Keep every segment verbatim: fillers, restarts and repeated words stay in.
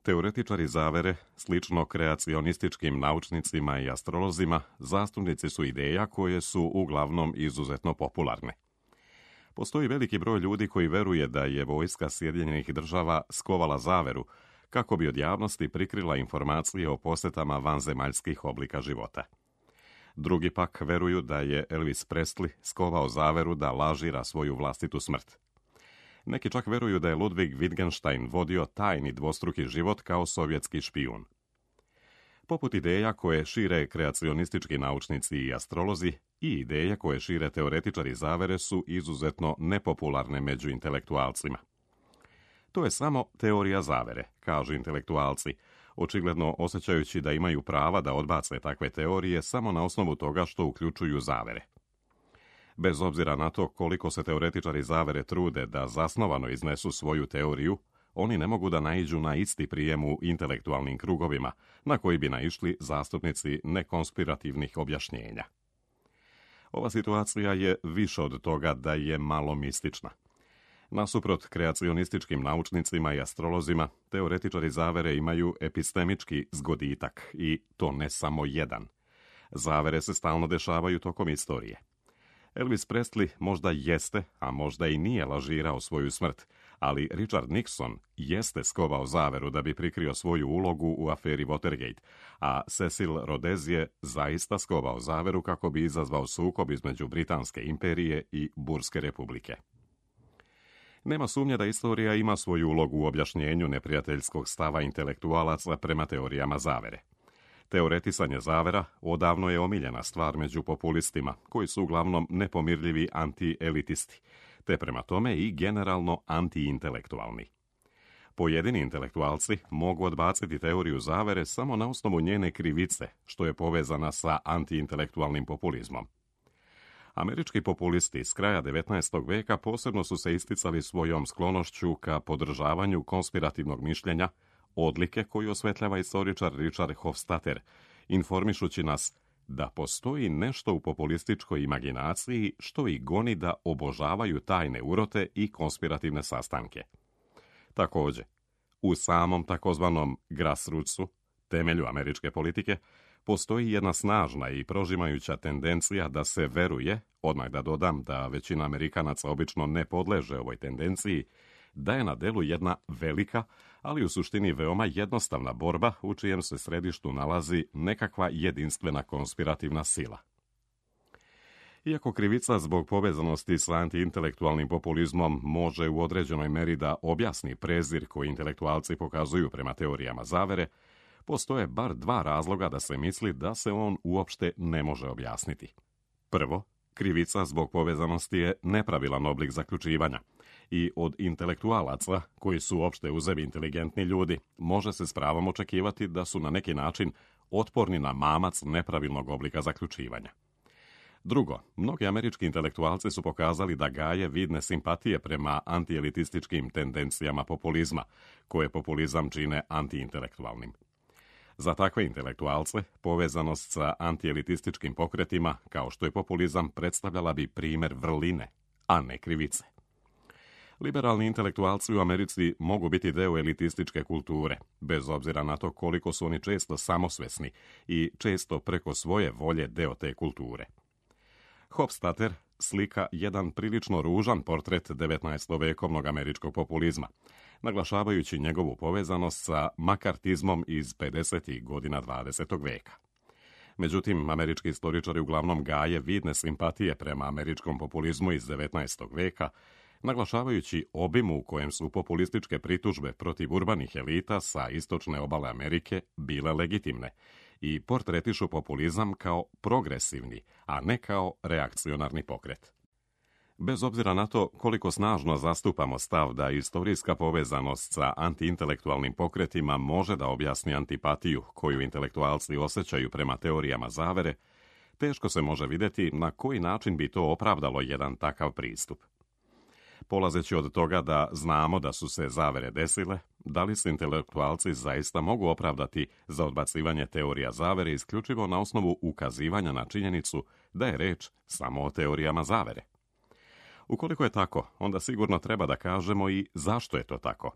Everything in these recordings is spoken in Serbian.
Teoretičari zavere, slično kreacionističkim naučnicima i astrolozima, zastupnici su ideja koje su uglavnom izuzetno popularne. Postoji veliki broj ljudi koji veruje da je vojska Sjedinjenih država skovala zaveru kako bi od javnosti prikrila informacije o posjetama vanzemaljskih oblika života. Drugi pak veruju da je Elvis Presley skovao zaveru da lažira svoju vlastitu smrt. Neki čak veruju da je Ludwig Wittgenstein vodio tajni dvostruki život kao sovjetski špijun. Poput ideja koje šire kreacionistički naučnici i astrolozi i ideje koje šire teoretičari zavere su izuzetno nepopularne među intelektualcima. To je samo teorija zavere, kažu intelektualci, očigledno osjećajući da imaju prava da odbace takve teorije samo na osnovu toga što uključuju zavere. Bez obzira na to koliko se teoretičari zavere trude da zasnovano iznesu svoju teoriju, oni ne mogu da naiđu na isti prijem u intelektualnim krugovima, na koji bi naišli zastupnici nekonspirativnih objašnjenja. Ova situacija je više od toga da je malo mistična. Nasuprot kreacionističkim naučnicima i astrolozima, teoretičari zavere imaju epistemički zgoditak, i to ne samo jedan. Zavere se stalno dešavaju tokom istorije. Elvis Presley možda jeste, a možda i nije lažirao svoju smrt, ali Richard Nixon jeste skovao zaveru da bi prikrio svoju ulogu u aferi Watergate, a Cecil Rhodes je zaista skovao zaveru kako bi izazvao sukob između Britanske imperije i Burske republike. Nema sumnje da istorija ima svoju ulogu u objašnjenju neprijateljskog stava intelektualaca prema teorijama zavere. Teoretisanje zavera odavno je omiljena stvar među populistima, koji su uglavnom nepomirljivi anti-elitisti, te prema tome i generalno anti-intelektualni. Pojedini intelektualci mogu odbaciti teoriju zavere samo na osnovu njene krivice, što je povezana sa anti-intelektualnim populizmom. Američki populisti s kraja devetnaestog veka posebno su se isticali svojom sklonošću ka podržavanju konspirativnog mišljenja, odlike koju osvetljava istoričar Richard Hofstadter, informišući nas da postoji nešto u populističkoj imaginaciji što ih goni da obožavaju tajne urote i konspirativne sastanke. Također, u samom takozvanom grassrootsu, temelju američke politike, postoji jedna snažna i prožimajuća tendencija da se veruje, odmah da dodam da većina Amerikanaca obično ne podleže ovoj tendenciji, da je na delu jedna velika, ali u suštini veoma jednostavna borba u čijem se središtu nalazi nekakva jedinstvena konspirativna sila. Iako krivica zbog povezanosti sa antiintelektualnim populizmom može u određenoj meri da objasni prezir koji intelektualci pokazuju prema teorijama zavere, postoje bar dva razloga da se misli da se on uopšte ne može objasniti. Prvo, krivica zbog povezanosti je nepravilan oblik zaključivanja i od intelektualaca, koji su opšte uzemi inteligentni ljudi, može se s pravom očekivati da su na neki način otporni na mamac nepravilnog oblika zaključivanja. Drugo, mnogi američki intelektualci su pokazali da gaje vidne simpatije prema antielitističkim tendencijama populizma, koje populizam čine antiintelektualnim. Za takve intelektualce, povezanost sa antielitističkim pokretima, kao što je populizam, predstavljala bi primer vrline, a ne krivice. Liberalni intelektualci u Americi mogu biti deo elitističke kulture, bez obzira na to koliko su oni često samosvesni i često preko svoje volje deo te kulture. Hofstadter slika jedan prilično ružan portret devetnaestovekovnog američkog populizma, naglašavajući njegovu povezanost sa makartizmom iz pedesetih godina dvadesetog veka. Međutim, američki istoričari uglavnom gaje vidne simpatije prema američkom populizmu iz devetnaestog veka, naglašavajući obim u kojem su populističke pritužbe protiv urbanih elita sa istočne obale Amerike bile legitimne i portretišu populizam kao progresivni, a ne kao reakcionarni pokret. Bez obzira na to koliko snažno zastupamo stav da istorijska povezanost sa antiintelektualnim pokretima može da objasni antipatiju koju intelektualci osjećaju prema teorijama zavere, teško se može vidjeti na koji način bi to opravdalo jedan takav pristup. Polazeći od toga da znamo da su se zavere desile, da li se intelektualci zaista mogu opravdati za odbacivanje teorija zavere isključivo na osnovu ukazivanja na činjenicu da je reč samo o teorijama zavere? Ukoliko je tako, onda sigurno treba da kažemo i zašto je to tako.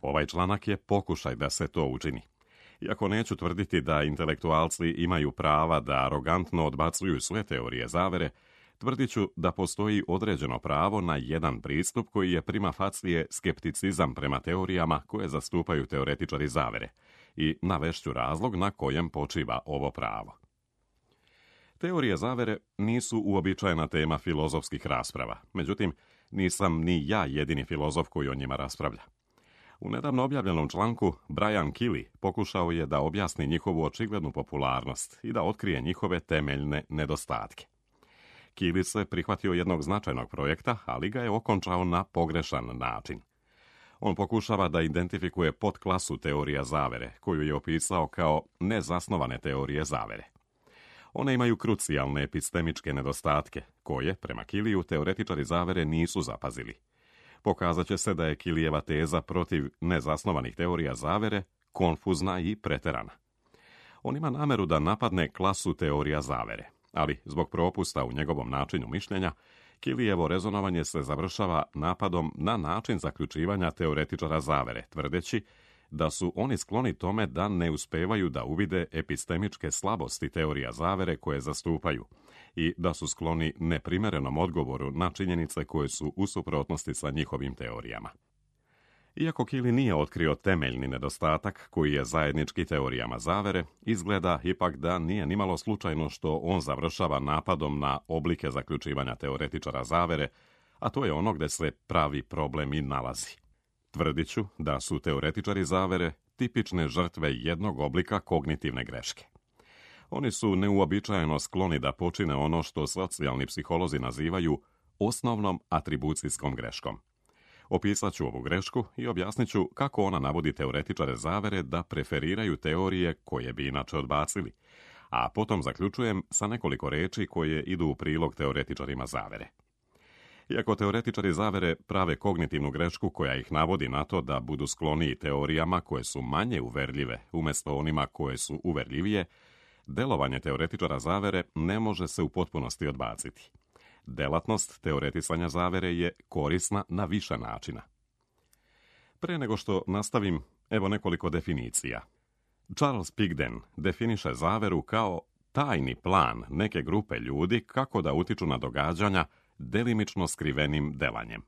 Ovaj članak je pokušaj da se to učini. Iako neću tvrditi da intelektualci imaju prava da arogantno odbacuju sve teorije zavere, tvrdit ću da postoji određeno pravo na jedan pristup koji je prima facie skepticizam prema teorijama koje zastupaju teoretičari zavere i navešću razlog na kojem počiva ovo pravo. Teorije zavere nisu uobičajena tema filozofskih rasprava, međutim, nisam ni ja jedini filozof koji o njima raspravlja. U nedavno objavljenom članku Brian Kelly pokušao je da objasni njihovu očiglednu popularnost i da otkrije njihove temeljne nedostatke. Kelly se prihvatio jednog značajnog projekta, ali ga je okončao na pogrešan način. On pokušava da identifikuje podklasu teorija zavere, koju je opisao kao nezasnovane teorije zavere. One imaju krucijalne epistemičke nedostatke, koje, prema Kellyju, teoretičari zavere nisu zapazili. Pokazat će se da je Kellyjeva teza protiv nezasnovanih teorija zavere konfuzna i preterana. On ima nameru da napadne klasu teorija zavere, ali zbog propusta u njegovom načinu mišljenja, Kellyjevo rezonovanje se završava napadom na način zaključivanja teoretičara zavere, tvrdeći da su oni skloni tome da ne uspevaju da uvide epistemičke slabosti teorija zavere koje zastupaju i da su skloni neprimerenom odgovoru na činjenice koje su u suprotnosti sa njihovim teorijama. Iako Kelly nije otkrio temeljni nedostatak koji je zajednički teorijama zavere, izgleda ipak da nije nimalo slučajno što on završava napadom na oblike zaključivanja teoretičara zavere, a to je ono gde se pravi problem i nalazi. Tvrdit ću da su teoretičari zavere tipične žrtve jednog oblika kognitivne greške. Oni su neuobičajeno skloni da počine ono što socijalni psiholozi nazivaju osnovnom atribucijskom greškom. Opisat ću ovu grešku i objasnit ću kako ona navodi teoretičare zavere da preferiraju teorije koje bi inače odbacili, a potom zaključujem sa nekoliko reči koje idu u prilog teoretičarima zavere. Iako teoretičari zavere prave kognitivnu grešku koja ih navodi na to da budu skloniji teorijama koje su manje uverljive umjesto onima koje su uverljivije, delovanje teoretičara zavere ne može se u potpunosti odbaciti. Delatnost teoretisanja zavere je korisna na više načina. Pre nego što nastavim, evo nekoliko definicija. Charles Pigden definiše zaveru kao tajni plan neke grupe ljudi kako da utiču na događanja delimično skrivenim delanjem.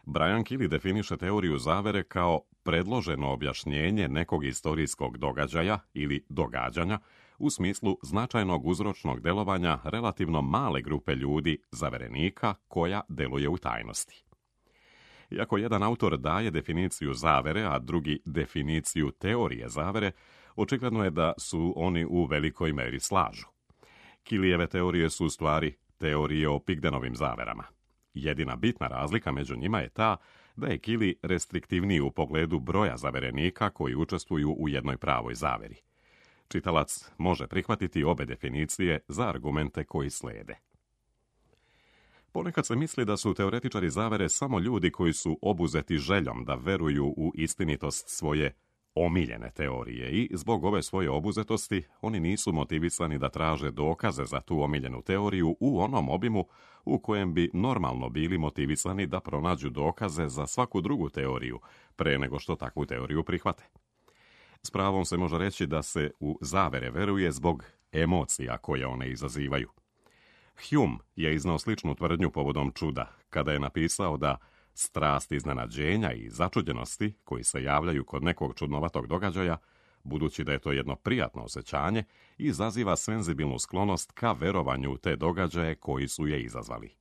Brian Kelly definiše teoriju zavere kao predloženo objašnjenje nekog istorijskog događaja ili događanja u smislu značajnog uzročnog delovanja relativno male grupe ljudi, zaverenika, koja deluje u tajnosti. Iako jedan autor daje definiciju zavere, a drugi definiciju teorije zavere, očigledno je da su oni u velikoj meri slažu. Kellyjeve teorije su u stvari teorije o Pigdenovim zaverama. Jedina bitna razlika među njima je ta da je Kelly restriktivniji u pogledu broja zaverenika koji učestvuju u jednoj pravoj zaveri. Čitalac može prihvatiti obe definicije za argumente koji slede. Ponekad se misli da su teoretičari zavere samo ljudi koji su obuzeti željom da veruju u istinitost svoje omiljene teorije i zbog ove svoje obuzetosti oni nisu motivisani da traže dokaze za tu omiljenu teoriju u onom obimu u kojem bi normalno bili motivisani da pronađu dokaze za svaku drugu teoriju pre nego što takvu teoriju prihvate. S pravom se može reći da se u zavere veruje zbog emocija koje one izazivaju. Hume je iznao sličnu tvrdnju povodom čuda, kada je napisao da strast iznenađenja i začuđenosti koji se javljaju kod nekog čudnovatog događaja, budući da je to jedno prijatno osjećanje, izaziva senzibilnu sklonost ka verovanju u te događaje koji su je izazvali.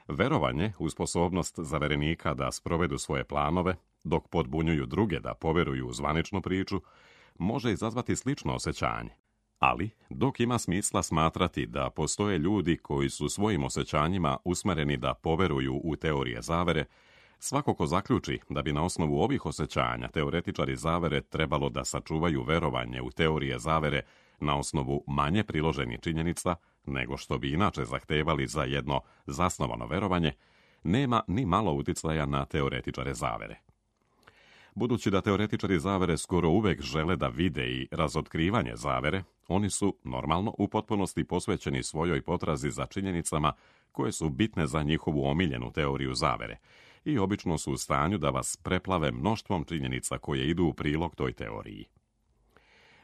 Verovanje u sposobnost zaverenika da sprovedu svoje planove, dok podbunjuju druge da poveruju u zvaničnu priču, može izazvati slično osjećanje. Ali, dok ima smisla smatrati da postoje ljudi koji su svojim osjećanjima usmereni da poveruju u teorije zavere, svako ko zaključi da bi na osnovu ovih osjećanja teoretičari zavere trebalo da sačuvaju verovanje u teorije zavere na osnovu manje priloženih činjenica nego što bi inače zahtevali za jedno zasnovano verovanje, nema ni malo uticaja na teoretičare zavere. Budući da teoretičari zavere skoro uvek žele da vide i razotkrivanje zavere, oni su, normalno, u potpunosti posvećeni svojoj potrazi za činjenicama koje su bitne za njihovu omiljenu teoriju zavere i obično su u stanju da vas preplave mnoštvom činjenica koje idu u prilog toj teoriji.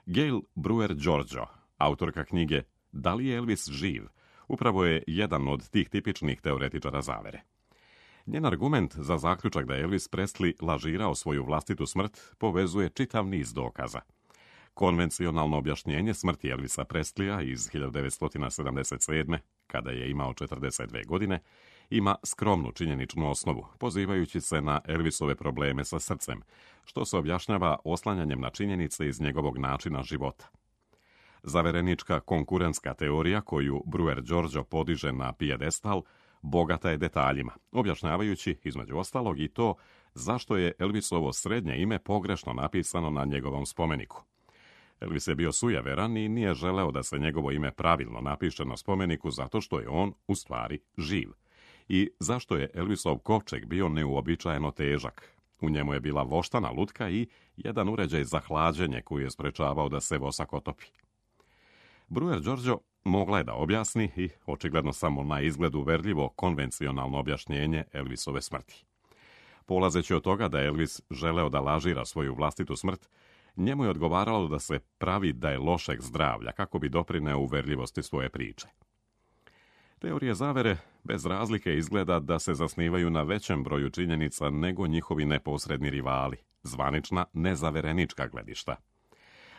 Gail Brewer-Georgeau, autorka knjige Da li je Elvis živ, upravo je jedan od tih tipičnih teoretičara zavere. Njen argument za zaključak da je Elvis Presley lažirao svoju vlastitu smrt povezuje čitav niz dokaza. Konvencionalno objašnjenje smrti Elvisa Presleya iz hiljadu devetsto sedamdeset sedme, kada je imao četrdeset dve godine, ima skromnu činjeničnu osnovu, pozivajući se na Elvisove probleme sa srcem, što se objašnjava oslanjanjem na činjenice iz njegovog načina života. Zaverenička konkurentska teorija koju Brewer-Georgeau podiže na pijedestal bogata je detaljima, objašnjavajući, između ostalog, i to zašto je Elvisovo srednje ime pogrešno napisano na njegovom spomeniku. Elvis je bio sujeveran i nije želeo da se njegovo ime pravilno napiše na spomeniku zato što je on, u stvari, živ. I zašto je Elvisov kovčeg bio neuobičajeno težak. U njemu je bila voštana lutka i jedan uređaj za hlađenje koji je sprečavao da se vosak otopi. Brewer-Georgeau mogla je da objasni i očigledno samo na izgled uverljivo konvencionalno objašnjenje Elvisove smrti. Polazeći od toga da je Elvis želeo da lažira svoju vlastitu smrt, njemu je odgovaralo da se pravi da je lošeg zdravlja kako bi doprineo uverljivosti svoje priče. Teorije zavere bez razlike izgleda da se zasnivaju na većem broju činjenica nego njihovi neposredni rivali, zvanična nezaverenička gledišta.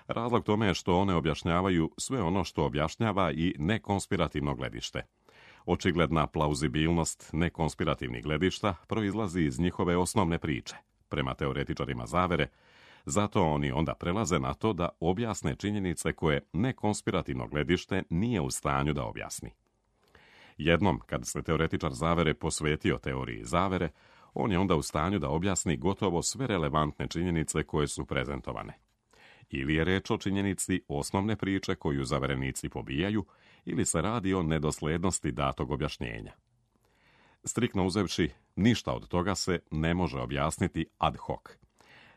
Razlog tome je što one objašnjavaju sve ono što objašnjava i nekonspirativno gledište. Očigledna plauzibilnost nekonspirativnih gledišta proizlazi iz njihove osnovne priče, prema teoretičarima zavere, zato oni onda prelaze na to da objasne činjenice koje nekonspirativno gledište nije u stanju da objasni. Jednom, kad se teoretičar zavere posvetio teoriji zavere, on je onda u stanju da objasni gotovo sve relevantne činjenice koje su prezentovane. Ili je reč o činjenici osnovne priče koju zaverenici pobijaju, ili se radi o nedoslednosti datog objašnjenja. Striktno uzevši, ništa od toga se ne može objasniti ad hoc.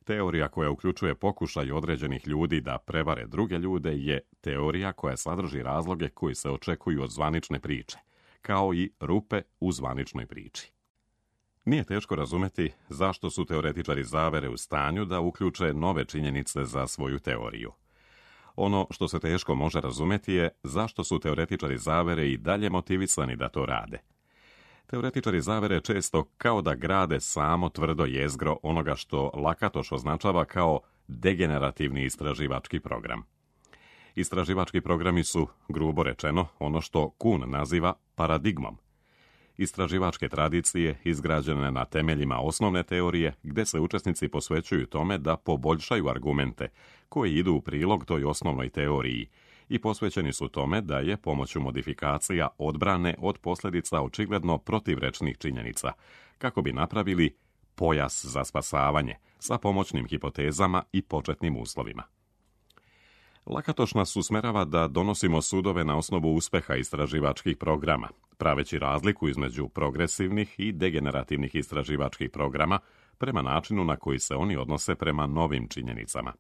Teorija koja uključuje pokušaj određenih ljudi da prevare druge ljude je teorija koja sadrži razloge koji se očekuju od zvanične priče, kao i rupe u zvaničnoj priči. Nije teško razumeti zašto su teoretičari zavere u stanju da uključe nove činjenice za svoju teoriju. Ono što se teško može razumeti je zašto su teoretičari zavere i dalje motivisani da to rade. Teoretičari zavere često kao da grade samo tvrdo jezgro onoga što Lakatoš označava kao degenerativni istraživački program. Istraživački programi su, grubo rečeno, ono što Kuhn naziva paradigmom. Istraživačke tradicije izgrađene na temeljima osnovne teorije, gde se učesnici posvećuju tome da poboljšaju argumente koji idu u prilog toj osnovnoj teoriji i posvećeni su tome da je pomoću modifikacija odbrane od posljedica očigledno protivrečnih činjenica, kako bi napravili pojas za spasavanje sa pomoćnim hipotezama i početnim uslovima. Lakatoš nas usmerava da donosimo sudove na osnovu uspeha istraživačkih programa, praveći razliku između progresivnih i degenerativnih istraživačkih programa prema načinu na koji se oni odnose prema novim činjenicama.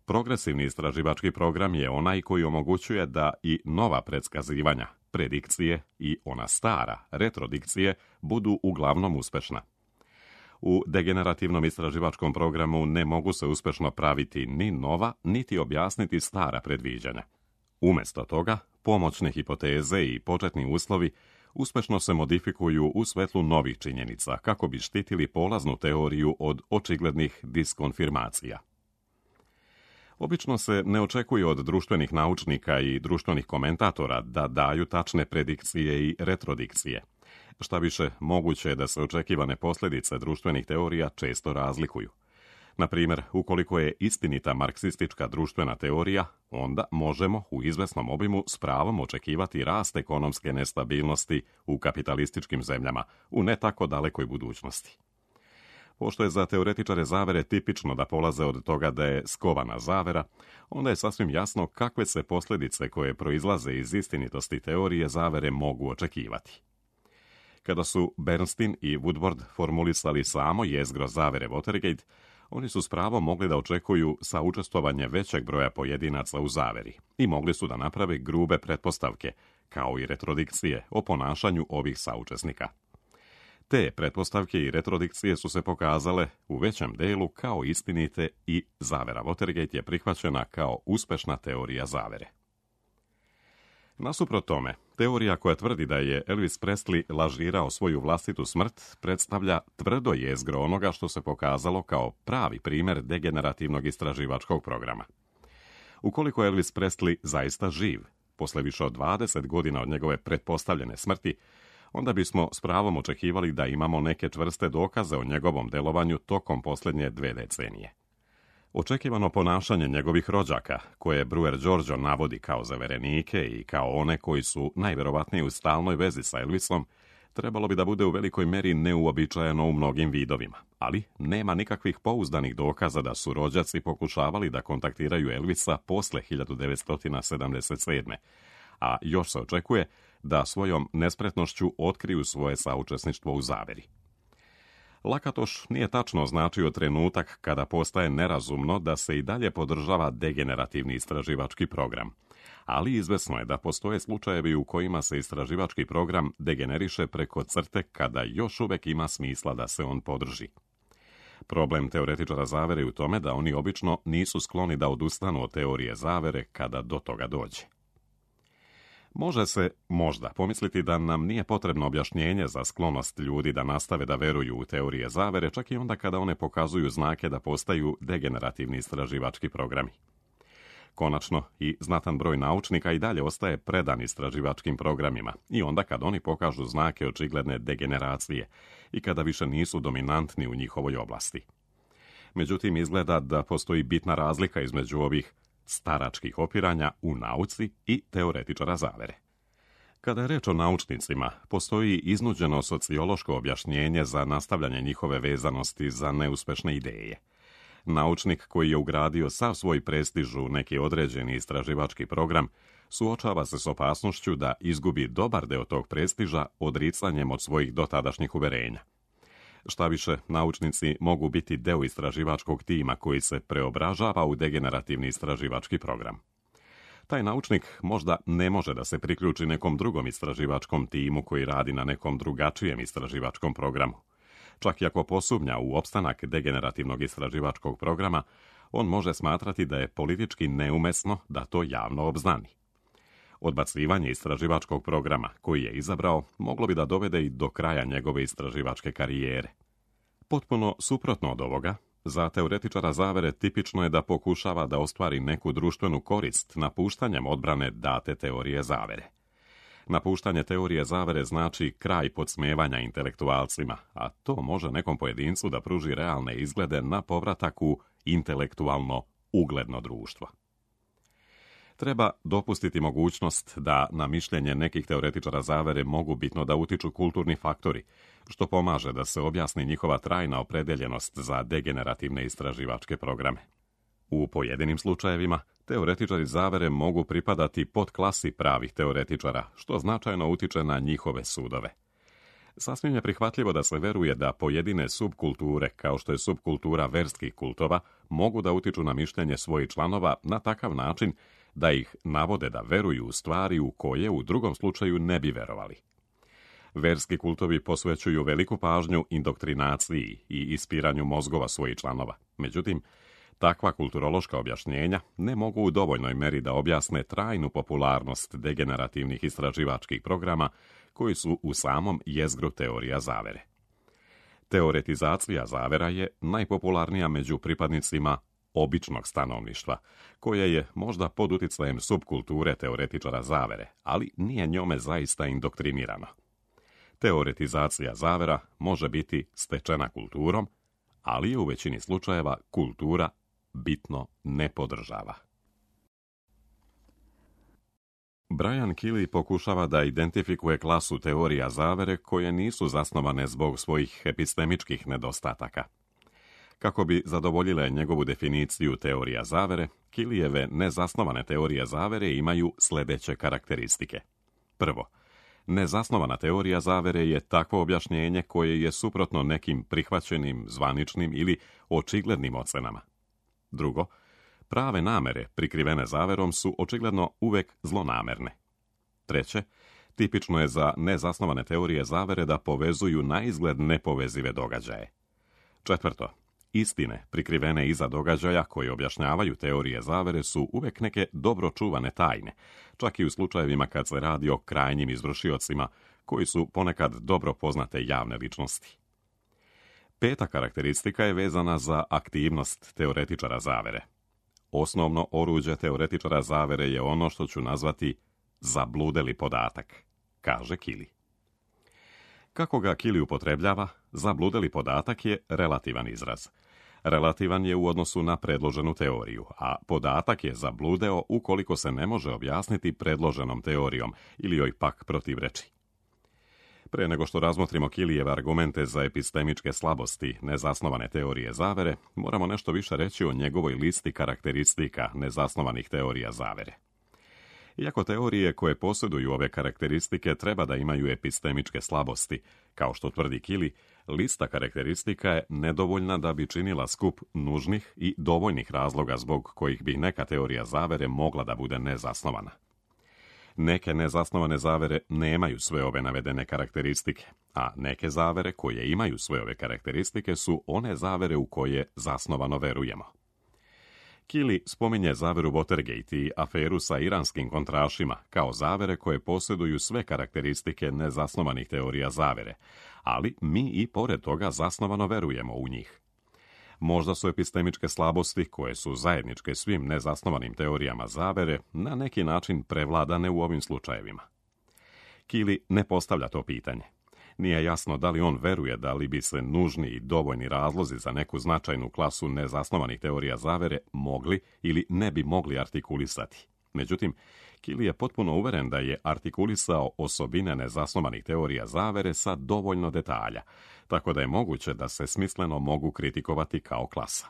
Progresivni istraživački program je onaj koji omogućuje da i nova predskazivanja, predikcije i ona stara, retrodikcije, budu uglavnom uspešna. U degenerativnom istraživačkom programu ne mogu se uspešno praviti ni nova, niti objasniti stara predviđanja. Umjesto toga, pomoćne hipoteze i početni uslovi uspešno se modifikuju u svetlu novih činjenica kako bi štitili polaznu teoriju od očiglednih diskonfirmacija. Obično se ne očekuje od društvenih naučnika i društvenih komentatora da daju tačne predikcije i retrodikcije. Šta više, moguće je da se očekivane posljedice društvenih teorija često razlikuju. Na primjer, ukoliko je istinita marksistička društvena teorija, onda možemo u izvesnom obimu s pravom očekivati rast ekonomske nestabilnosti u kapitalističkim zemljama u ne tako dalekoj budućnosti. Pošto je za teoretičare zavere tipično da polaze od toga da je skovana zavera, onda je sasvim jasno kakve se posljedice koje proizlaze iz istinitosti teorije zavere mogu očekivati. Kada su Bernstein i Woodward formulisali samo jezgro zavere Watergate, oni su s pravom mogli da očekuju saučestvovanje većeg broja pojedinaca u zaveri i mogli su da naprave grube pretpostavke, kao i retrodikcije o ponašanju ovih saučesnika. Te pretpostavke i retrodikcije su se pokazale u većem delu kao istinite i zavera Watergate je prihvaćena kao uspešna teorija zavere. Nasuprot tome, teorija koja tvrdi da je Elvis Presley lažirao svoju vlastitu smrt predstavlja tvrdo jezgro onoga što se pokazalo kao pravi primjer degenerativnog istraživačkog programa. Ukoliko je Elvis Presley zaista živ, posle više od dvadeset godina od njegove pretpostavljene smrti, onda bismo s pravom očekivali da imamo neke čvrste dokaze o njegovom delovanju tokom posljednje dve decenije. Očekivano ponašanje njegovih rođaka, koje Brewer George navodi kao zaverenike i kao one koji su najverovatnije u stalnoj vezi sa Elvisom, trebalo bi da bude u velikoj meri neuobičajeno u mnogim vidovima, ali nema nikakvih pouzdanih dokaza da su rođaci pokušavali da kontaktiraju Elvisa posle hiljadu devetsto sedamdeset sedme. A još se očekuje da svojom nespretnošću otkriju svoje saučesništvo u zaveri. Lakatoš nije tačno označio trenutak kada postaje nerazumno da se i dalje podržava degenerativni istraživački program, ali izvesno je da postoje slučajevi u kojima se istraživački program degeneriše preko crte kada još uvek ima smisla da se on podrži. Problem teoretičara zavere je u tome da oni obično nisu skloni da odustanu od teorije zavere kada do toga dođe. Može se, možda, pomisliti da nam nije potrebno objašnjenje za sklonost ljudi da nastave da veruju u teorije zavere, čak i onda kada one pokazuju znake da postaju degenerativni istraživački programi. Konačno, i znatan broj naučnika i dalje ostaje predan istraživačkim programima, i onda kad oni pokažu znake očigledne degeneracije i kada više nisu dominantni u njihovoj oblasti. Međutim, izgleda da postoji bitna razlika između ovih staračkih opiranja u nauci i teoretičara zavere. Kada je reč o naučnicima, postoji iznuđeno sociološko objašnjenje za nastavljanje njihove vezanosti za neuspešne ideje. Naučnik koji je ugradio sav svoj prestiž u neki određeni istraživački program suočava se s opasnošću da izgubi dobar deo tog prestiža odricanjem od svojih dotadašnjih uverenja. Šta više, naučnici mogu biti deo istraživačkog tima koji se preobražava u degenerativni istraživački program. Taj naučnik možda ne može da se priključi nekom drugom istraživačkom timu koji radi na nekom drugačijem istraživačkom programu. Čak i ako posumnja u opstanak degenerativnog istraživačkog programa, on može smatrati da je politički neumesno da to javno obznani. Odbacivanje istraživačkog programa koji je izabrao moglo bi da dovede i do kraja njegove istraživačke karijere. Potpuno suprotno od ovoga, za teoretičara zavere tipično je da pokušava da ostvari neku društvenu korist napuštanjem odbrane date teorije zavere. Napuštanje teorije zavere znači kraj podsmevanja intelektualcima, a to može nekom pojedincu da pruži realne izglede na povratak u intelektualno ugledno društvo. Treba dopustiti mogućnost da na mišljenje nekih teoretičara zavere mogu bitno da utiču kulturni faktori, što pomaže da se objasni njihova trajna opredeljenost za degenerativne istraživačke programe. U pojedinim slučajevima, teoretičari zavere mogu pripadati pod klasi pravih teoretičara, što značajno utiče na njihove sudove. Sasvim je prihvatljivo da se veruje da pojedine subkulture, kao što je subkultura verskih kultova, mogu da utiču na mišljenje svojih članova na takav način da ih navode da veruju u stvari u koje u drugom slučaju ne bi verovali. Verski kultovi posvećuju veliku pažnju indoktrinaciji i ispiranju mozgova svojih članova. Međutim, takva kulturološka objašnjenja ne mogu u dovoljnoj meri da objasne trajnu popularnost degenerativnih istraživačkih programa koji su u samom jezgru teorija zavere. Teoretizacija zavera je najpopularnija među pripadnicima običnog stanovništva, koje je možda pod uticajem subkulture teoretičara zavere, ali nije njome zaista indoktrinirano. Teoretizacija zavera može biti stečena kulturom, ali je u većini slučajeva kultura bitno ne podržava. Brian Keeley pokušava da identifikuje klasu teorija zavere koje nisu zasnovane zbog svojih epistemičkih nedostataka. Kako bi zadovoljile njegovu definiciju teorija zavere, Keeleyjeve nezasnovane teorije zavere imaju sljedeće karakteristike. Prvo, nezasnovana teorija zavere je takvo objašnjenje koje je suprotno nekim prihvaćenim, zvaničnim ili očiglednim ocenama. Drugo, prave namere prikrivene zaverom su očigledno uvek zlonamerne. Treće, Tipično je za nezasnovane teorije zavere da povezuju naizgled nepovezive događaje. Četvrto, istine prikrivene iza događaja koje objašnjavaju teorije zavere su uvek neke dobro čuvane tajne, čak i u slučajevima kad se radi o krajnjim izvršiocima koji su ponekad dobro poznate javne ličnosti. Peta karakteristika je vezana za aktivnost teoretičara zavere. Osnovno oruđe teoretičara zavere je ono što ću nazvati zabludeli podatak, kaže Keeley. Kako ga Keeley upotrebljava, zabludeli podatak je relativan izraz. Relativan je u odnosu na predloženu teoriju, a podatak je zabludeo ukoliko se ne može objasniti predloženom teorijom ili joj pak protivreči. Pre nego što razmotrimo Keeleyjeve argumente za epistemičke slabosti nezasnovane teorije zavere, moramo nešto više reći o njegovoj listi karakteristika nezasnovanih teorija zavere. Iako teorije koje posjeduju ove karakteristike treba da imaju epistemičke slabosti, kao što tvrdi Keeley, lista karakteristika je nedovoljna da bi činila skup nužnih i dovoljnih razloga zbog kojih bi neka teorija zavere mogla da bude nezasnovana. Neke nezasnovane zavere nemaju sve ove navedene karakteristike, a neke zavere koje imaju sve ove karakteristike su one zavere u koje zasnovano verujemo. Keeley spominje zaveru Watergate i aferu sa iranskim kontrašima kao zavere koje posjeduju sve karakteristike nezasnovanih teorija zavere, ali mi i pored toga zasnovano verujemo u njih. Možda su epistemičke slabosti, koje su zajedničke svim nezasnovanim teorijama zavere, na neki način prevladane u ovim slučajevima. Keeley ne postavlja to pitanje. Nije jasno da li on veruje da li bi se nužni i dovoljni razlozi za neku značajnu klasu nezasnovanih teorija zavere mogli ili ne bi mogli artikulisati. Međutim, Keeley je potpuno uveren da je artikulisao osobine nezasnovanih teorija zavere sa dovoljno detalja, tako da je moguće da se smisleno mogu kritikovati kao klasa.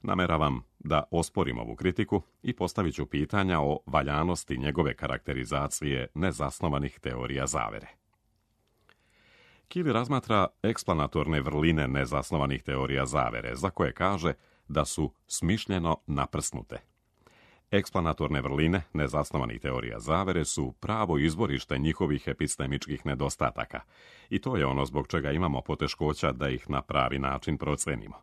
Nameravam da osporim ovu kritiku i postavit ću pitanja o valjanosti njegove karakterizacije nezasnovanih teorija zavere. Keeley razmatra eksplanatorne vrline nezasnovanih teorija zavere, za koje kaže da su smišljeno naprsnute. Eksplanatorne vrline nezasnovanih teorija zavere su pravo izvorište njihovih epistemičkih nedostataka i to je ono zbog čega imamo poteškoća da ih na pravi način procenimo.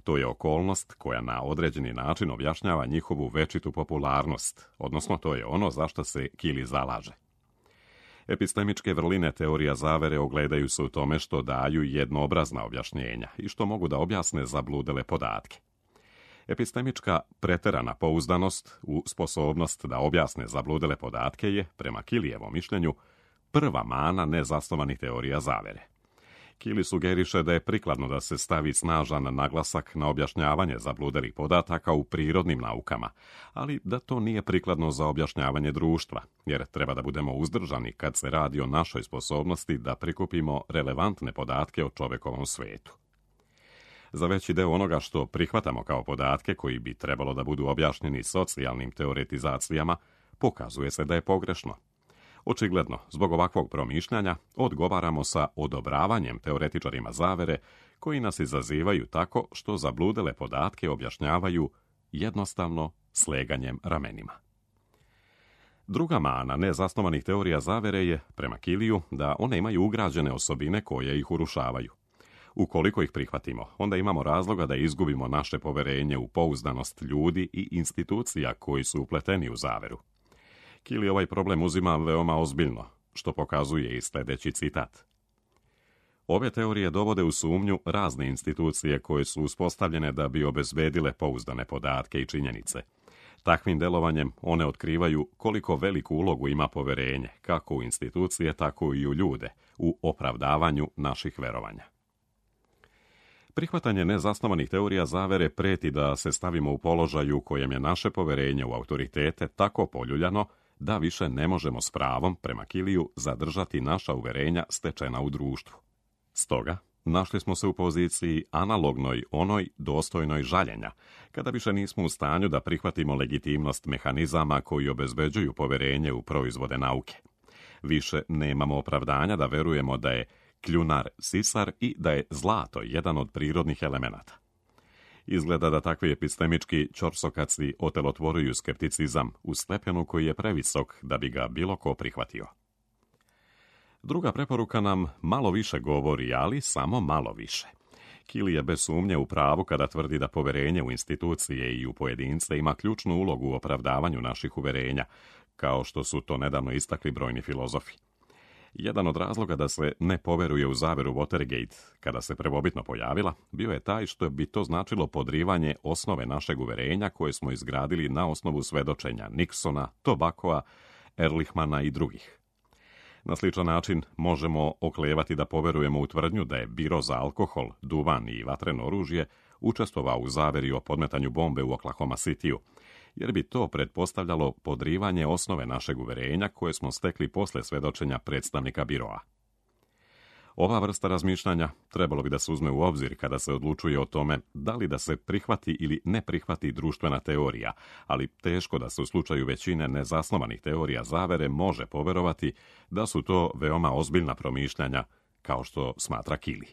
To je okolnost koja na određeni način objašnjava njihovu večitu popularnost, odnosno to je ono za što se Keeley zalaže. Epistemičke vrline teorija zavere ogledaju se u tome što daju jednoobrazna objašnjenja i što mogu da objasne zabludele podatke. Epistemička preterana pouzdanost u sposobnost da objasne zabludele podatke je, prema Keeleyjevom mišljenju, prva mana nezasnovanih teorija zavere. Keeley sugeriše da je prikladno da se stavi snažan naglasak na objašnjavanje zabludelih podataka u prirodnim naukama, ali da to nije prikladno za objašnjavanje društva, jer treba da budemo uzdržani kad se radi o našoj sposobnosti da prikupimo relevantne podatke o čovekovom svetu. Za veći deo onoga što prihvatamo kao podatke koji bi trebalo da budu objašnjeni socijalnim teoretizacijama, pokazuje se da je pogrešno. Očigledno, zbog ovakvog promišljanja, odgovaramo sa odobravanjem teoretičarima zavere koji nas izazivaju tako što zabludele podatke objašnjavaju jednostavno sleganjem ramenima. Druga mana nezasnovanih teorija zavere je, prema Keeleyju, da one imaju ugrađene osobine koje ih urušavaju. Ukoliko ih prihvatimo, onda imamo razloga da izgubimo naše poverenje u pouzdanost ljudi i institucija koji su upleteni u zaveru. Keeley ovaj problem uzima veoma ozbiljno, što pokazuje i sljedeći citat. Ove teorije dovode u sumnju razne institucije koje su uspostavljene da bi obezbedile pouzdane podatke i činjenice. Takvim delovanjem one otkrivaju koliko veliku ulogu ima poverenje, kako u institucije, tako i u ljude, u opravdavanju naših verovanja. Prihvatanje nezasnovanih teorija zavere preti da se stavimo u položaju u kojem je naše poverenje u autoritete tako poljuljano da više ne možemo s pravom, prema Keeleyju, zadržati naša uverenja stečena u društvu. Stoga, našli smo se u poziciji analognoj onoj dostojnoj žaljenja, kada više nismo u stanju da prihvatimo legitimnost mehanizama koji obezbeđuju poverenje u proizvode nauke. Više nemamo opravdanja da verujemo da je kljunar sisar i da je zlato jedan od prirodnih elemenata. Izgleda da takvi epistemički ćorsokaci otelotvoruju skepticizam u stepenu koji je previsok da bi ga bilo ko prihvatio. Druga preporuka nam malo više govori, ali samo malo više. Kili je bez sumnje u pravu kada tvrdi da poverenje u institucije i u pojedince ima ključnu ulogu u opravdavanju naših uverenja, kao što su to nedavno istakli brojni filozofi. Jedan od razloga da se ne poveruje u zaveru Watergate, kada se prvobitno pojavila, bio je taj što bi to značilo podrivanje osnove našeg uverenja koje smo izgradili na osnovu svedočenja Nixona, Tobakoa, Ehrlichmana i drugih. Na sličan način možemo oklevati da poverujemo u tvrdnju da je biro za alkohol, duvan i vatreno oružje učestvovao u zaveri o podmetanju bombe u Oklahoma Cityu, jer bi to pretpostavljalo podrivanje osnove našeg uverenja koje smo stekli posle svedočenja predstavnika biroa. Ova vrsta razmišljanja trebalo bi da se uzme u obzir kada se odlučuje o tome da li da se prihvati ili ne prihvati društvena teorija, ali teško da se u slučaju većine nezasnovanih teorija zavere može poverovati da su to veoma ozbiljna promišljanja, kao što smatra Kili.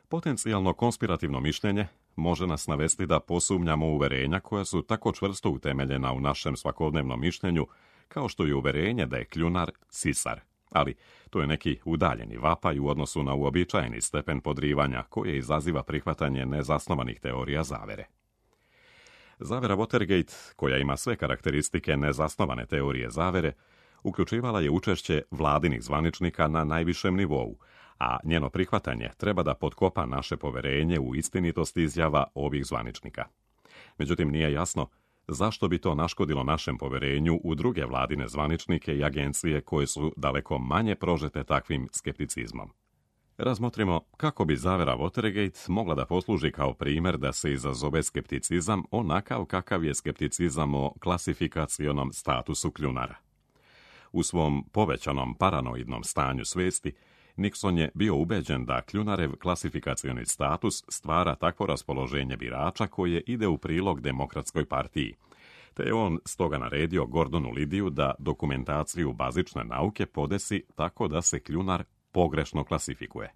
Potencijalno konspirativno mišljenje može nas navesti da posumnjamo uverenja koja su tako čvrsto utemeljena u našem svakodnevnom mišljenju, kao što je uverenje da je kljunar sisar. Ali to je neki udaljeni vapaj u odnosu na uobičajeni stepen podrivanja koje izaziva prihvatanje nezasnovanih teorija zavere. Zavera Watergate, koja ima sve karakteristike nezasnovane teorije zavere, uključivala je učešće vladinih zvaničnika na najvišem nivou, a njeno prihvatanje treba da potkopa naše poverenje u istinitost izjava ovih zvaničnika. Međutim, nije jasno zašto bi to naškodilo našem poverenju u druge vladine zvaničnike i agencije koje su daleko manje prožete takvim skepticizmom. Razmotrimo kako bi zavera Watergate mogla da posluži kao primjer da se izazove skepticizam onakav kakav je skepticizam o klasifikacionom statusu kljunara. U svom povećanom paranoidnom stanju svesti, Nixon je bio ubeđen da kljunarev klasifikacioni status stvara takvo raspoloženje birača koje ide u prilog Demokratskoj partiji, te je on stoga naredio Gordonu Lidiju da dokumentaciju bazične nauke podesi tako da se kljunar pogrešno klasifikuje.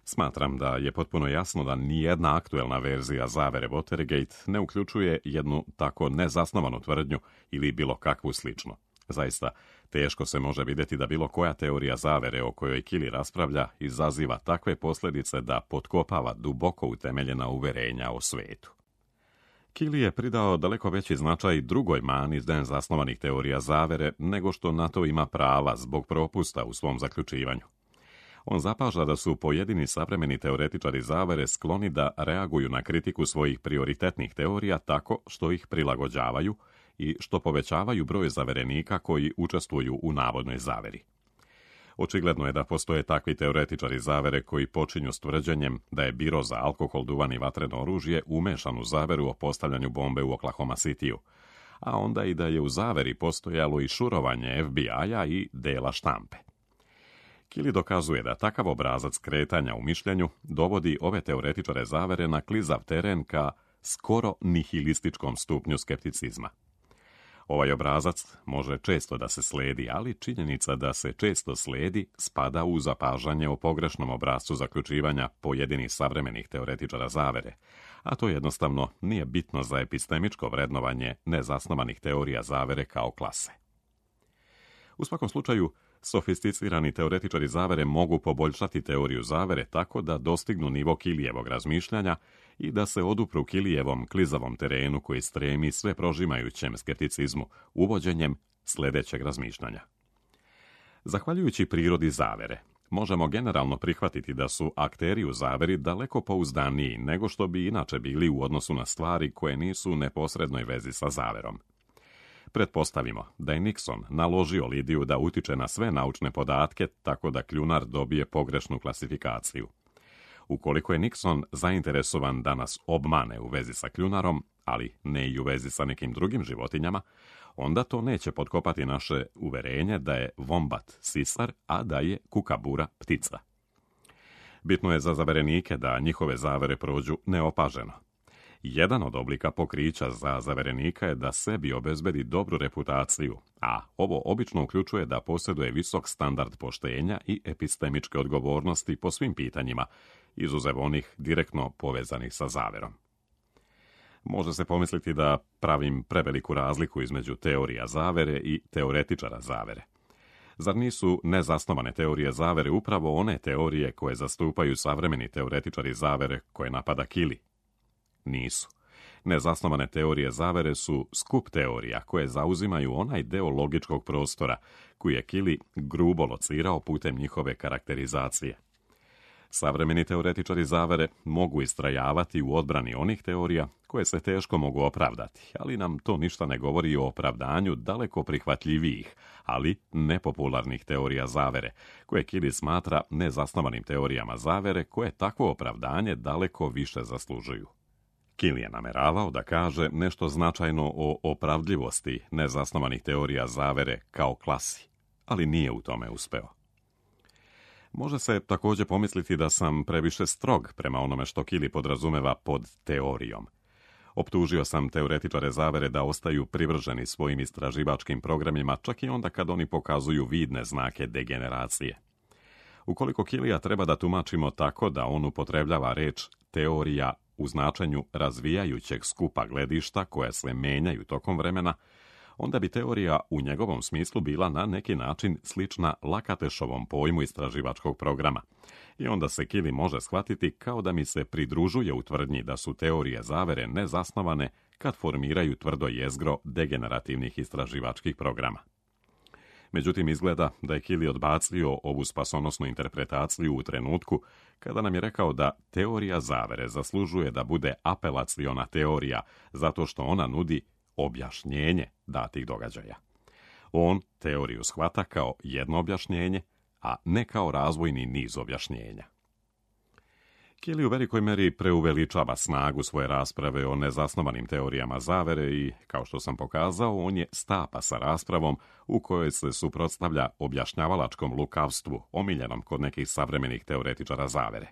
Smatram da je potpuno jasno da nijedna aktuelna verzija zavere Watergate ne uključuje jednu tako nezasnovanu tvrdnju ili bilo kakvu sličnu. Zaista, teško se može vidjeti da bilo koja teorija zavere o kojoj Kili raspravlja izaziva takve posljedice da potkopava duboko utemeljena uverenja o svetu. Kili je pridao daleko veći značaj drugoj mani nezasnovanih teorija zavere nego što na to ima prava zbog propusta u svom zaključivanju. On zapaža da su pojedini savremeni teoretičari zavere skloni da reaguju na kritiku svojih prioritetnih teorija tako što ih prilagođavaju i što povećavaju broj zaverenika koji učestvuju u navodnoj zaveri. Očigledno je da postoje takvi teoretičari zavere koji počinju s tvrđenjem da je biro za alkohol, duvan i vatreno oružje umešan u zaveru o postavljanju bombe u Oklahoma Cityu, a onda i da je u zaveri postojalo i šurovanje F B I-a i dela štampe. Kili dokazuje da takav obrazac kretanja u mišljenju dovodi ove teoretičare zavere na klizav teren ka skoro nihilističkom stupnju skepticizma. Ovaj obrazac može često da se sledi, ali činjenica da se često sledi spada u zapažanje o pogrešnom obrascu zaključivanja pojedinih savremenih teoretičara zavere, a to jednostavno nije bitno za epistemičko vrednovanje nezasnovanih teorija zavere kao klase. U svakom slučaju, sofisticirani teoretičari zavere mogu poboljšati teoriju zavere tako da dostignu nivo Kilijevog razmišljanja i da se odupru Kilijevom klizavom terenu koji stremi sve prožimajućem skepticizmu uvođenjem sljedećeg razmišljanja. Zahvaljujući prirodi zavere, možemo generalno prihvatiti da su akteri u zaveri daleko pouzdaniji nego što bi inače bili u odnosu na stvari koje nisu u neposrednoj vezi sa zaverom. Pretpostavimo da je Nixon naložio Lidiju da utiče na sve naučne podatke tako da kljunar dobije pogrešnu klasifikaciju. Ukoliko je Nixon zainteresovan da nas obmane u vezi sa kljunarom, ali ne i u vezi sa nekim drugim životinjama, onda to neće potkopati naše uverenje da je vombat sisar, a da je kukabura ptica. Bitno je za zaverenike da njihove zavere prođu neopaženo. Jedan od oblika pokrića za zaverenika je da sebi obezbedi dobru reputaciju, a ovo obično uključuje da posjeduje visok standard poštenja i epistemičke odgovornosti po svim pitanjima, izuzev onih direktno povezanih sa zaverom. Može se pomisliti da pravim preveliku razliku između teorija zavere i teoretičara zavere. Zar nisu nezasnovane teorije zavere upravo one teorije koje zastupaju savremeni teoretičari zavere koje napada Kili? Nisu. Nezasnovane teorije zavere su skup teorija koje zauzimaju onaj deo logičkog prostora koji je Kili grubo locirao putem njihove karakterizacije. Savremeni teoretičari zavere mogu istrajavati u odbrani onih teorija koje se teško mogu opravdati, ali nam to ništa ne govori o opravdanju daleko prihvatljivijih, ali nepopularnih teorija zavere, koje Kili smatra nezasnovanim teorijama zavere koje takvo opravdanje daleko više zaslužuju. Kili je nameravao da kaže nešto značajno o opravdljivosti nezasnovanih teorija zavere kao klasi, ali nije u tome uspeo. Može se također pomisliti da sam previše strog prema onome što Kili podrazumeva pod teorijom. Optužio sam teoretičare zavere da ostaju privrženi svojim istraživačkim programima čak i onda kad oni pokazuju vidne znake degeneracije. Ukoliko Kilija treba da tumačimo tako da on upotrebljava reč teorija u značenju razvijajućeg skupa gledišta koje se menjaju tokom vremena, onda bi teorija u njegovom smislu bila na neki način slična Lakatešovom pojmu istraživačkog programa. I onda se Kili može shvatiti kao da mi se pridružuje u tvrdnji da su teorije zavere nezasnovane kad formiraju tvrdo jezgro degenerativnih istraživačkih programa. Međutim, izgleda da je Kili odbacio ovu spasonosnu interpretaciju u trenutku kada nam je rekao da teorija zavere zaslužuje da bude apelaciona teorija zato što ona nudi objašnjenje datih događaja. On teoriju shvata kao jedno objašnjenje, a ne kao razvojni niz objašnjenja. Kili u velikoj meri preuveličava snagu svoje rasprave o nezasnovanim teorijama zavere i, kao što sam pokazao, on je stapa sa raspravom u kojoj se suprotstavlja objašnjavalačkom lukavstvu omiljenom kod nekih savremenih teoretičara zavere.